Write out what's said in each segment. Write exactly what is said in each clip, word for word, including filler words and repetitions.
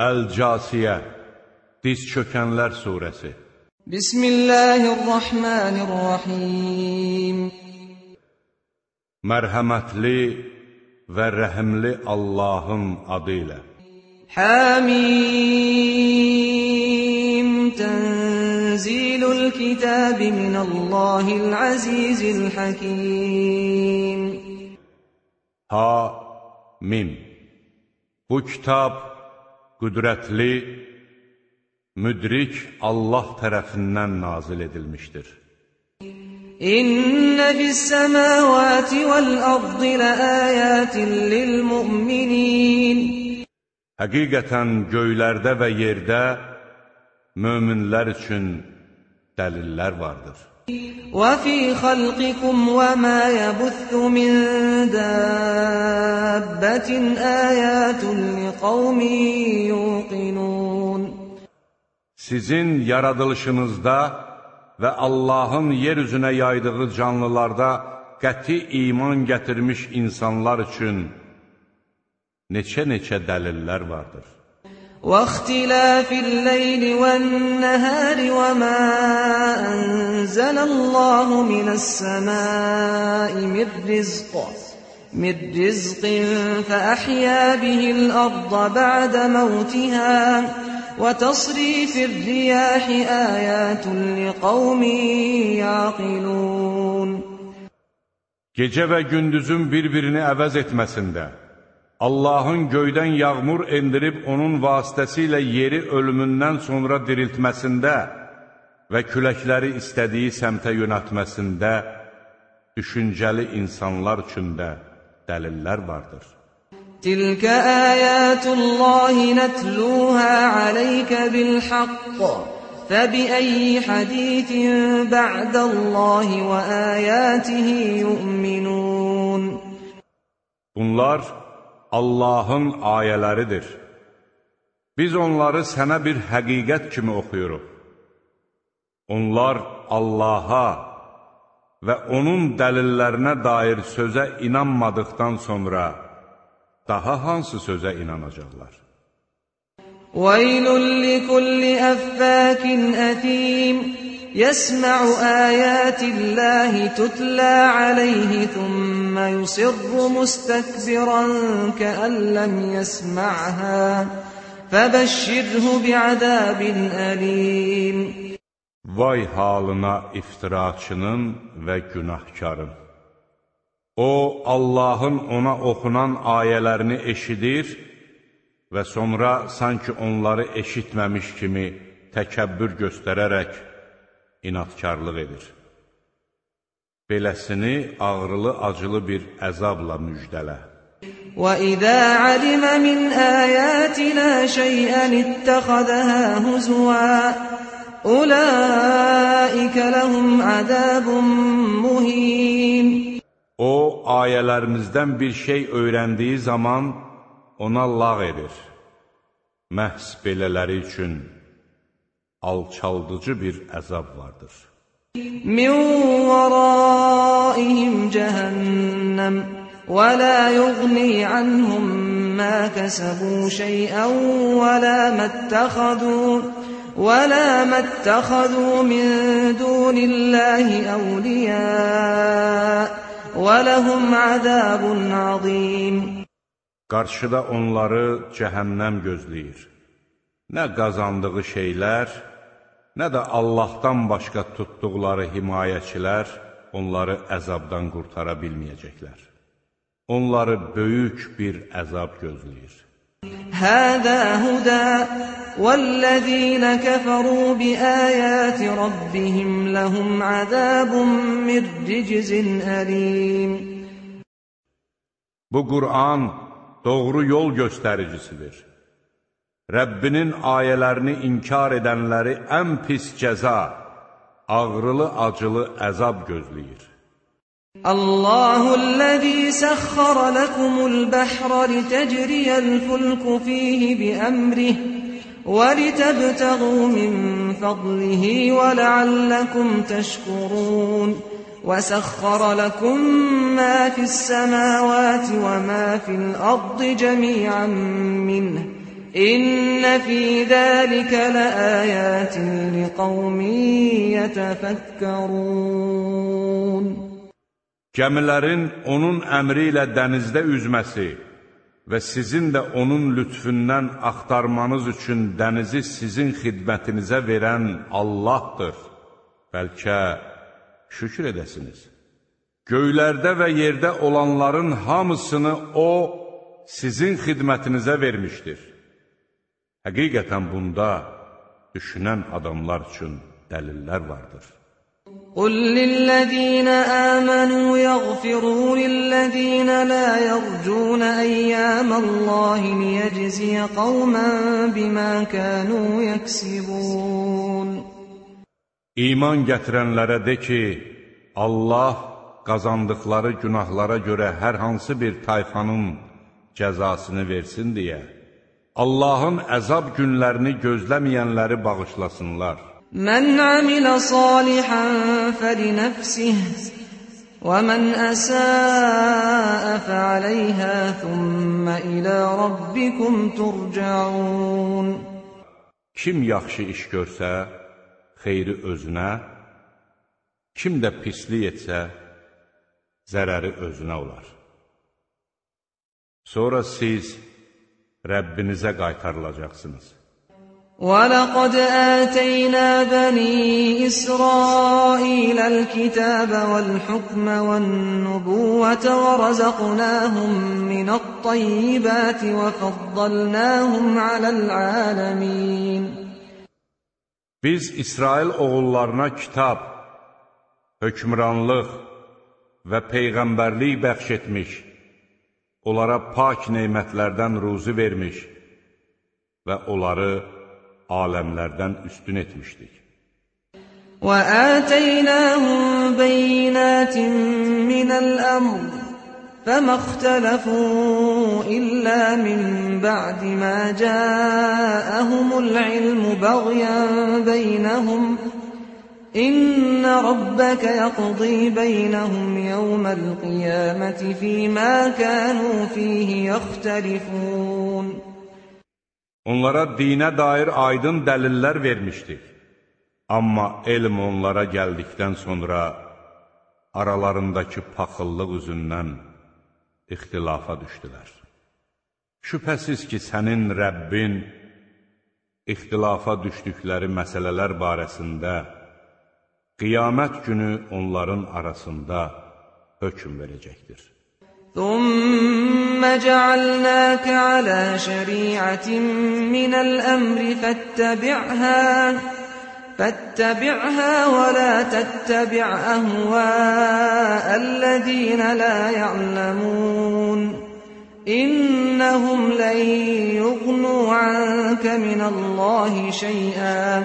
Əl-Casiyə, Diz çökənlər surəsi. Bismillahirrahmanirrahim. Mərhəmətli və rəhimli Allahın adı ilə. Hamim, tənzilul kitabi minəllahil azizil hakim. Ha-mim. Bu kitab qüdrətli, müdrik Allah tərəfindən nazil edilmişdir. İnnə fis-səmavati vəl-ardı ləayətin lil-mu'minin. Həqiqətən göylərdə və yerdə möminlər üçün dəlillər vardır. وَفِي خَلْقِكُمْ وَمَا يَبُثُّ مِنْ دَابَّةٍ آيَاتٌ لِقَوْمٍ يُوقِنُونَ. Sizin yaradılışınızda və Allahın yer üzünə yaydığı canlılarda qəti iman gətirmiş insanlar üçün neçə-neçə dəlillər vardır. وَاخْتِلَافِ اللَّيْلِ وَالنَّهَارِ وَمَا أَنزَلَ اللَّهُ مِنَ السَّمَاءِ مِنْ رِزْقٍ مِنْ رِزْقٍ فَأَحْيَا بِهِ الْأَرْضَ بَعْدَ مَوْتِهَا وَتَصْرِيفِ الرِّيَاحِ آيَاتٌ لِقَوْمٍ يَعْقِلُونَ. Gecə və gündüzün bir-birini əvəz etməsində, Allahın göydən yağmur endirib onun vasitəsilə yeri ölümündən sonra diriltməsində və küləkləri istədiyi səmtə yönətməsində düşüncəli insanlar üçün də dəlillər vardır. Tilkə əyətullahi nətluhə aleykə bilhaqq fəbiəyyi hədithin bə'dəllahi və əyətihi yu'minun. Bunlar Allahın ayələridir. Biz onları sənə bir həqiqət kimi oxuyuruq. Onlar Allaha və onun dəlillərinə dair sözə inanmadıqdan sonra daha hansı sözə inanacaqlar? وَيْلٌ لِكُلِّ أَفَّاكٍ أَثِيمٍ يَسْمَعُ آيَاتِ اللَّهِ تُتْلَى عَلَيْهِ ثُمَّ يُصِرُّ مُسْتَكْبِرًا كَأَن لَّمْ يَسْمَعْهَا فَبَشِّرْهُ بِعَذَابٍ أَلِيمٍ. Vay halına iftiraçının və günahkarın. O, Allahın ona oxunan ayələrini eşidir və sonra sanki onları eşitməmiş kimi təkəbbür göstərərək inatkarlıq edir. Beləsini ağrılı-acılı bir əzabla müjdələ. وَإِذَا عَلِمَ مِنْ آيَاتِنَا شَيْئًا اتَّخَذَهَا هُزُوًا أُولَئِكَ لَهُمْ عَذَابٌ مُهِينٌ. O, ayələrimizdən bir şey öyrəndiyi zaman ona lağ edir. Məhz belələri üçün alçaldıcı bir əzab vardır. مِنْ وَرَائِهِمْ جَهَنَّمْ وَلَا يُغْنِي عَنْهُمْ مَا كَسَبُوا شَيْئًا وَلَا مَا اتَّخَذُوا وَلَا مَا اتَّخَذُوا مِنْ دُونِ اللَّهِ أَوْلِيَاءَ وَلَهُمْ عَذَابٌ عَظِيمٌ. Qarşıda onları cəhənnəm gözləyir. Nə qazandığı şeylər, nə də Allahdan başqa tutduqları himayəçilər onları əzabdan qurtara bilməyəcəklər. Onları böyük bir əzab gözləyir. Həzə hudə vəl-ləzīnə kəfərū bi-əyəti rabbihim ləhum əzəbun min riczin əlim. Bu Qur'an doğru yol göstəricisidir. Rəbbinin ayələrini inkar edənləri ən pis cəza, ağrılı-acılı əzab gözləyir. Allahu'l-ləzî səxxərə ləkumul-bəhrə litəcriyəl-fulku fīhi bi-əmrih və litəbtəğū min fadlihi və ləalləkum təşkurun. وَسَخَّرَ لَكُم مَّا فِي السَّمَاوَاتِ وَمَا فِي الْأَرْضِ جَمِيعًا مِّنْهُ İnne fî zâlike leâyâtin liqavmin yetefekkerûn. Gəmilərin onun əmri ilə dənizdə üzməsi və sizin də onun lütfündən axtarmanız üçün dənizi sizin xidmətinizə verən Allahdır. Bəlkə şükür edəsiniz. Göylərdə və yerdə olanların hamısını O, sizin xidmətinizə vermişdir. Həqiqətən bunda düşünən adamlar üçün dəlillər vardır. قُلْ لِلَّذِينَ آمَنُوا يَغْفِرُوا لِلَّذِينَ لَا يَرْجُونَ أَيَّامَ اللَّهِ لِيَجْزِيَ قَوْمًا بِمَا كَانُوا يَكْسِبُونَ. İman gətirənlərə de ki, Allah qazandıqları günahlara görə hər hansı bir tayfanın cəzasını versin deyə, Allahın əzab günlərini gözləməyənləri bağışlasınlar. Mən amilə salihən fəlinəfsih və mən əsəə fəaləyhə thümmə ilə rabbikum turcaun. Kim yaxşı iş görsə, xeyri özünə, kim də pislik etsə, zərəri özünə olar. Sonra siz Rəbbinizə qaytarılacaqsınız. وَلَقَدْ آتَيْنَا بَنِي إِسْرَائِيلَ الْكِتَابَ وَالْحُكْمَ وَالنُّبُوَّةَ وَرَزَقْنَاهُمْ مِنَ الطَّيِّبَاتِ وَفَضَّلْنَاهُمْ عَلَى الْعَالَمِينَ. Biz İsrail oğullarına kitab, hökmranlıq və peyğəmbərlik bəxş etmiş, onlara pak neymətlərdən ruzi vermiş və onları aləmlərdən üstün etmişdik. وَآتَيْنَاهُمْ بَيِّنَاتٍ مِّنَ الْأَمْرِ فَمَا اخْتَلَفُوا إِلَّا مِن بَعْدِ مَا جَاءَهُمُ الْعِلْمُ بَغْيًا بَيْنَهُمْ إِنَّ رَبَّكَ يَقْضِي بَيْنَهُمْ يَوْمَ الْقِيَامَةِ فِيمَا كَانُوا فِيهِ يَخْتَلِفُونَ. Onlara dinə dair aydın dəlillər vermişdik. Amma elm onlara gəldikdən sonra aralarındakı paxıllıq üzündən ixtilafa düşdülər. Şübhəsiz ki, sənin Rəbbin ixtilafa düşdükləri məsələlər barəsində qiyamət günü onların arasında hökm verəcəkdir. ثُمَّ جَعَلْنَاكَ عَلَى شَرِيعَةٍ مِّنَ الْأَمْرِ فَاتَّبِعْهَا فَاتَّبِعْهَا وَلَا تَتَّبِعْ أَهْوَاءَ الَّذِينَ لَا يَعْلَمُونَ إِنَّهُمْ لَن يُغْنُوا عَنكَ مِنَ اللَّهِ شَيْئًا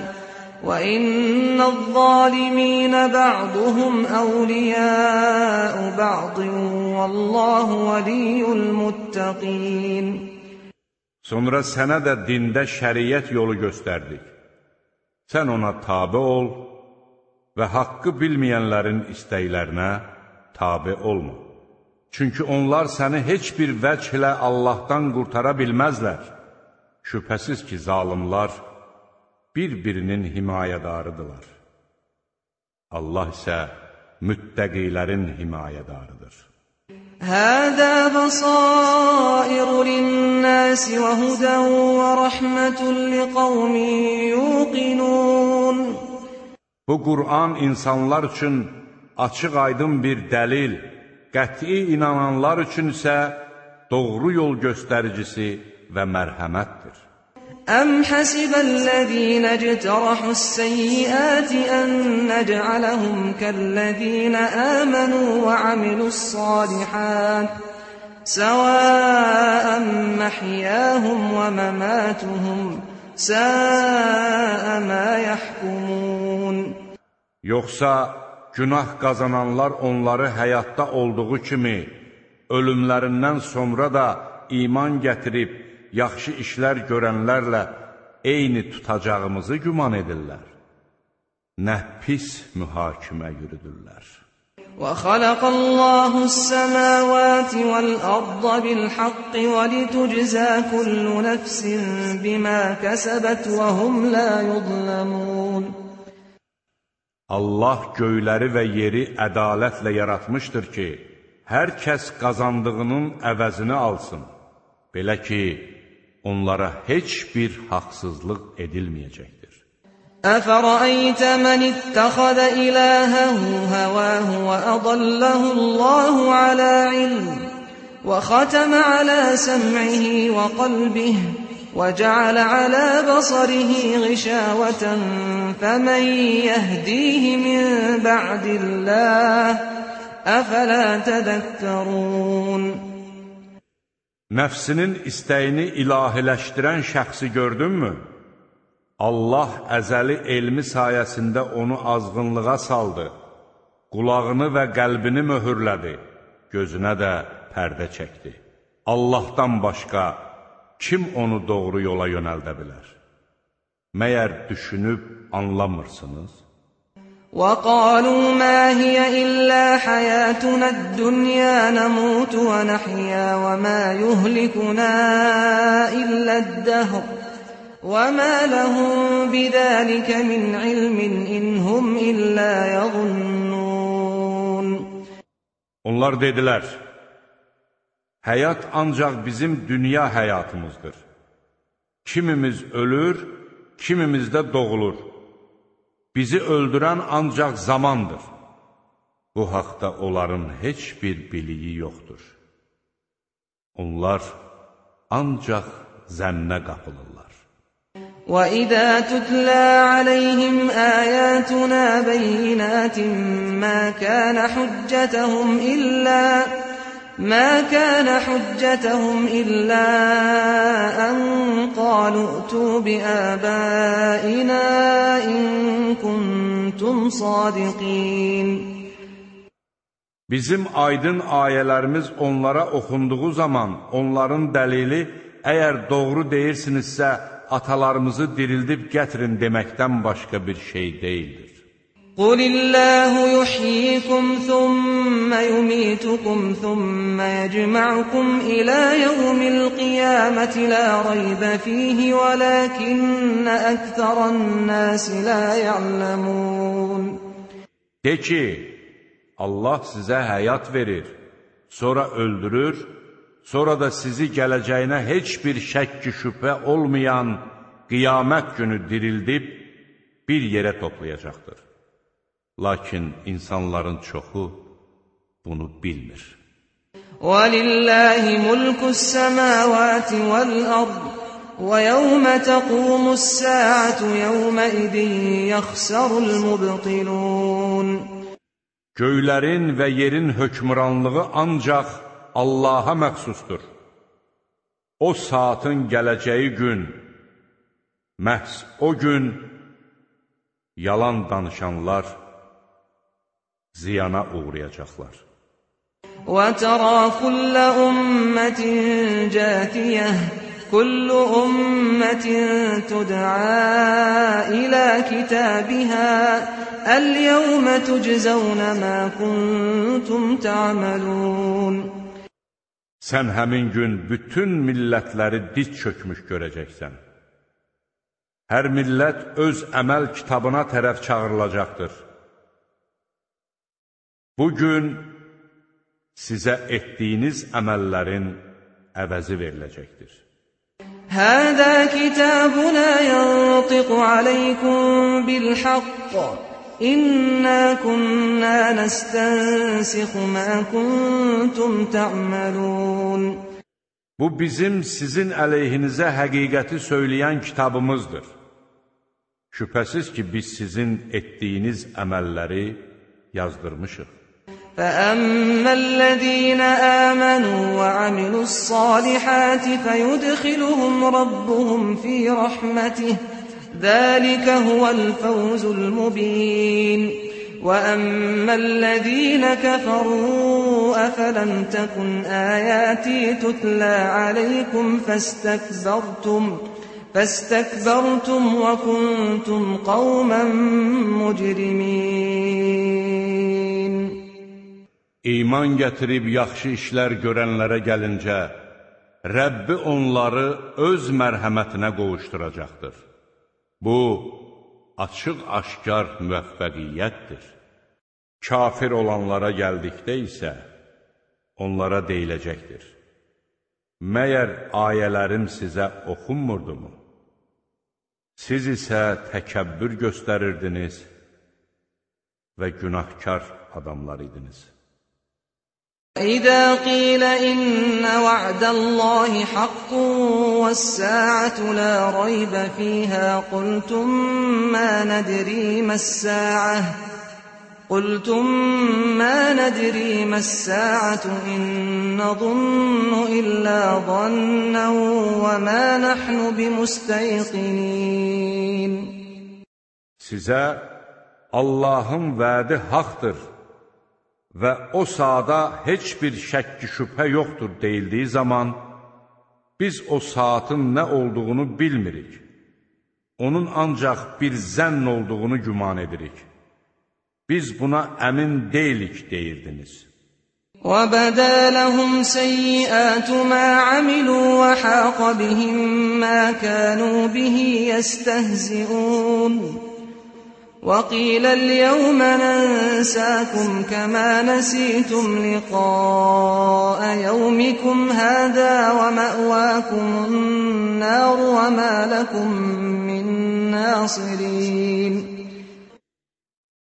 وَإِنَّ الظَّالِمِينَ بَعْضُهُمْ أَوْلِيَاءُ بَعْضٍ وَاللَّهُ وَلِيُّ الْمُتَّقِينَ. Sonra sənə də dində şəriət yolu göstərdik. Sən ona tabe ol və haqqı bilməyənlərin istəklərinə tabe olma. Çünki onlar səni heç bir vəclə Allahdan qurtara bilməzlər. Şübhəsiz ki, zalimlar bir-birinin himayədarıdırlar. Allah isə müttəqilərin himayədarıdır. Həzə bəsair lin-nas və hudən və rəhmətun liqavmin yuqinun. Bu Qur'an insanlar üçün açıq-aydın bir dəlil, qəti inananlar üçün isə doğru yol göstəricisi və mərhəmətdir. Əm həsibəl-ləzīnə ictərahus-səyyiəti ən nəc'aləhum kəl-ləzīnə əmənu və amilus-salihət səvəən məhyəhum və məmatuhum səə mə yəhkumun. Yoxsa günah qazananlar onları həyatda olduğu kimi ölümlərindən sonra da iman gətirib yaxşı işlər görənlərlə eyni tutacağımızı güman edirlər. Nə pis mühakimə yürüdürlər. وَخَلَقَ اللَّهُ السَّمَاوَاتِ وَالْأَرْضَ بِالْحَقِّ وَلِتُجْزَى كُلُّ نَفْسٍ بِمَا كَسَبَتْ وَهُمْ لَا يُظْلَمُونَ. Allah göyləri və yeri ədalətlə yaratmışdır ki, hər kəs qazandığının əvəzini alsın. Belə ki, onlara heç bir haqsızlıq edilməyəcəkdir. أَفَرَأَيْتَ مَنِ اتَّخَذَ إِلَٰهَهُ هَوَاهُ وَأَضَلَّهُ اللَّهُ عَلَىٰ عِلْمٍ وَخَتَمَ عَلَىٰ سَمْعِهِ وَقَلْبِهِ وَجَعَلَ عَلَىٰ بَصَرِهِ غِشَاوَةً فَمَن يَهْدِيهِ مِن بَعْدِ اللَّهِ أَفَلَا تَذَكَّرُونَ. Nəfsinin istəyini ilahiləşdirən şəxsi gördünmü? Allah əzəli elmi sayəsində onu azğınlığa saldı, qulağını və qəlbini möhürlədi, gözünə də pərdə çəkdi. Allahdan başqa kim onu doğru yola yönəldə bilər? Məyər düşünüb anlamırsınız? وَقَالُوا مَا هِيَ إِلَّا حَيَاتُنَا الدُّنْيَا نَمُوتُ وَنَحْيَا وَمَا يُهْلِكُنَا إِلَّا الدَّهْرُ وَمَا لَهُم بِذَٰلِكَ مِنْ عِلْمٍ إِنْ هُمْ إِلَّا يَظُنُّونَ. Onlar dedilər, həyat ancaq bizim dünya həyatımızdır. Kimimiz ölür, kimimiz də doğulur. Bizi öldürən ancaq zamandır. Bu haqda onların heç bir biliyi yoxdur. Onlar ancaq zənnə qapılırlar. وَإِذَا تُتْلَىٰ عَلَيْهِمْ آيَاتُنَا بَيِّنَاتٍ مَا كَانَ حُجَّتَهُمْ إِلَّا مَا كَانَ حُجَّتَهُمْ إِلَّا أَن قَالُوا ائْتُوا بِآبَائِنَا إِن كُنتُمْ صَادِقِينَ. Bizim aydın ayələrimiz onlara oxunduğu zaman onların dəlili, əgər doğru deyirsinizsə, atalarımızı dirildib gətirin deməkdən başqa bir şey deyildir. قُلِ اللَّهُ يُحْيِيكُمْ ثُمَّ يُمِيتُكُمْ ثُمَّ يَجْمَعُكُمْ إِلَى يَوْمِ الْقِيَامَةِ لَا رَيْبَ فِيهِ وَلَكِنَّ أَكْثَرَ النَّاسِ لَا يَعْلَمُونَ. De ki, Allah sizə həyat verir, sonra öldürür, sonra da sizi gələcəyinə heç bir şəkk-i şübhə olmayan qiyamət günü dirildib bir yerə toplayacaqdır. Lakin insanların çoxu bunu bilmir. وَلِلَّهِ مُلْكُ السَّمَاوَاتِ وَالْأَرْضِ وَيَوْمَ تَقُومُ السَّاعَةُ يَوْمَئِذٍ يَخْسَرُ الْمُبْطِلُونَ. Göylərin və yerin hökmranlığı ancaq Allaha məxsusdur. O saatın gələcəyi gün, məhz o gün yalan danışanlar ziyana uğrayacaqlar. وَتَرَى كُلَّ أُمَّةٍ جَاثِيَةً كُلُّ أُمَّةٍ تُدْعَى إِلَى كِتَابِهَا الْيَوْمَ تُجْزَوْنَ مَا كُنتُمْ تَعْمَلُونَ. Sən həmin gün bütün millətləri diz çökmüş görəcəksən. Hər millət öz əməl kitabına tərəf çağırılacaqdır. Bugün sizə etdiyiniz əməllərin əvəzi veriləcəkdir. هَذَا كِتَابُنَا يَنطِقُ عَلَيْكُمْ بِالْحَقِّ إِنَّا كُنَّا نَسْتَنسِخُ مَا كُنتُمْ تَعْمَلُونَ. Bu bizim sizin əleyhinizə həqiqəti söyləyən kitabımızdır. Şübhəsiz ki, biz sizin etdiyiniz əməlləri yazdırmışıq. فَأَمَّا الَّذِينَ آمَنُوا وَعَمِلُوا الصَّالِحَاتِ فَيُدْخِلُهُمْ رَبُّهُمْ فِي رَحْمَتِهِ ذَلِكَ هُوَ الْفَوْزُ الْمُبِينُ. وَأَمَّا الَّذِينَ كَفَرُوا أَفَلَمْ تَكُنْ آيَاتِي تُتْلَى عَلَيْكُمْ فَاسْتَكْبَرْتُمْ فَاسْتَكْبَرْتُمْ وَكُنْتُمْ قَوْمًا مُجْرِمِينَ. مُجْرِمِينَ. İman gətirib yaxşı işlər görənlərə gəlincə, Rəbbi onları öz mərhəmətinə qovuşduracaqdır. Bu, açıq-aşkar müvəffəqiyyətdir. Kafir olanlara gəldikdə isə, onlara deyiləcəkdir. Məyər ayələrim sizə oxunmurdumu? Siz isə təkəbbür göstərirdiniz və günahkar adamlar idiniz. إذا قيل إن وعد الله حق والساعة لا ريب فيها قلتم ما ندري ما الساعة قلتم ما ندري ما الساعة إن نظن إلا ظنا وما نحن بمستيقنين. Sizə Allahın vədi haqdır və o saata heç bir şəkki şübhə yoxdur deyildiyi zaman, biz o saatın nə olduğunu bilmirik. Onun ancaq bir zənn olduğunu güman edirik. Biz buna əmin deyilik deyirdiniz. وَبَدَا لَهُمْ سَيِّئَاتُ مَا عَمِلُوا وَحَاقَ بِهِم مَّا كَانُوا بِهِ يَسْتَهْزِئُونَ. وَقِيلَ الْيَوْمَ نَنسَاكُمْ كَمَا نَسِيتُمْ لِقَاءَ يَوْمِكُمْ هَٰذَا وَمَأْوَاكُمُ النَّارُ وَمَا لَكُم مِّن نَّاصِرِينَ.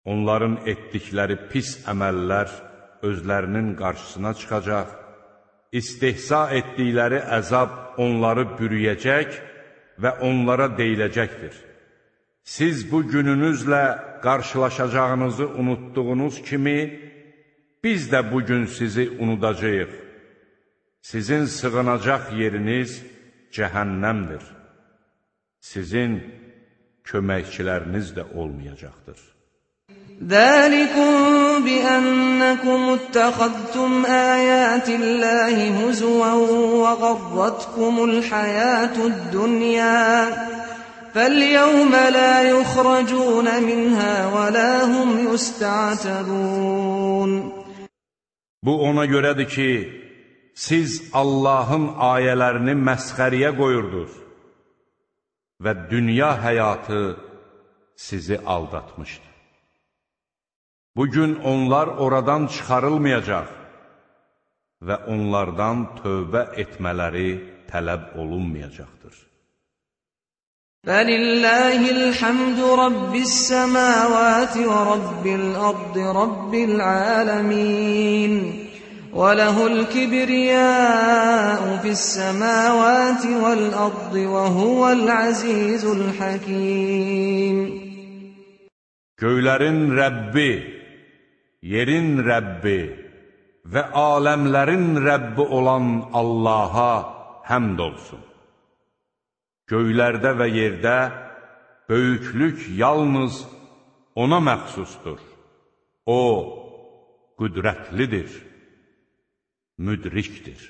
Onların etdikləri pis əməllər özlərinin qarşısına çıxacaq, istehza etdikləri əzab onları bürüyəcək və onlara deyiləcəkdir. Siz bu gününüzlə qarşılaşacağınızı unutduğunuz kimi, biz də bugün sizi unudacağıq. Sizin sığınacaq yeriniz cəhənnəmdir. Sizin köməkçiləriniz də olmayacaqdır. ذَٰلِكُمْ بِأَنَّكُمُ اتَّخَذْتُمْ آيَاتِ اللَّهِ هُزُوًا وَغَرَّتْكُمُ الْحَيَاةُ الدُّنْيَا فَالْيَوْمَ لَا يُخْرَجُونَ مِنْهَا وَلَا هُمْ يُسْتَعْتَبُونَ. Bu ona görədir ki, siz Allahın ayələrini məsxəriyə qoyurdunuz və dünya həyatı sizi aldatmışdı. Bugün onlar oradan çıxarılmayacaq və onlardan tövbə etmələri tələb olunmayacaqdır. فَلِلَّهِ الْحَمْدُ رَبِّ السَّمَاوَاتِ وَرَبِّ الْأَرْضِ رَبِّ الْعَالَمِينَ وَلَهُ الْكِبْرِيَاءُ فِي السَّمَاوَاتِ وَالْأَرْضِ وَهُوَ الْعَزِيزُ الْحَكِيمُ. Göylərin Rəbbi, yerin Rəbbi və aləmlərin Rəbbi olan Allaha həmd olsun. Göylərdə və yerdə böyüklük yalnız ona məxsusdur. O, qüdrətlidir, müdrikdir.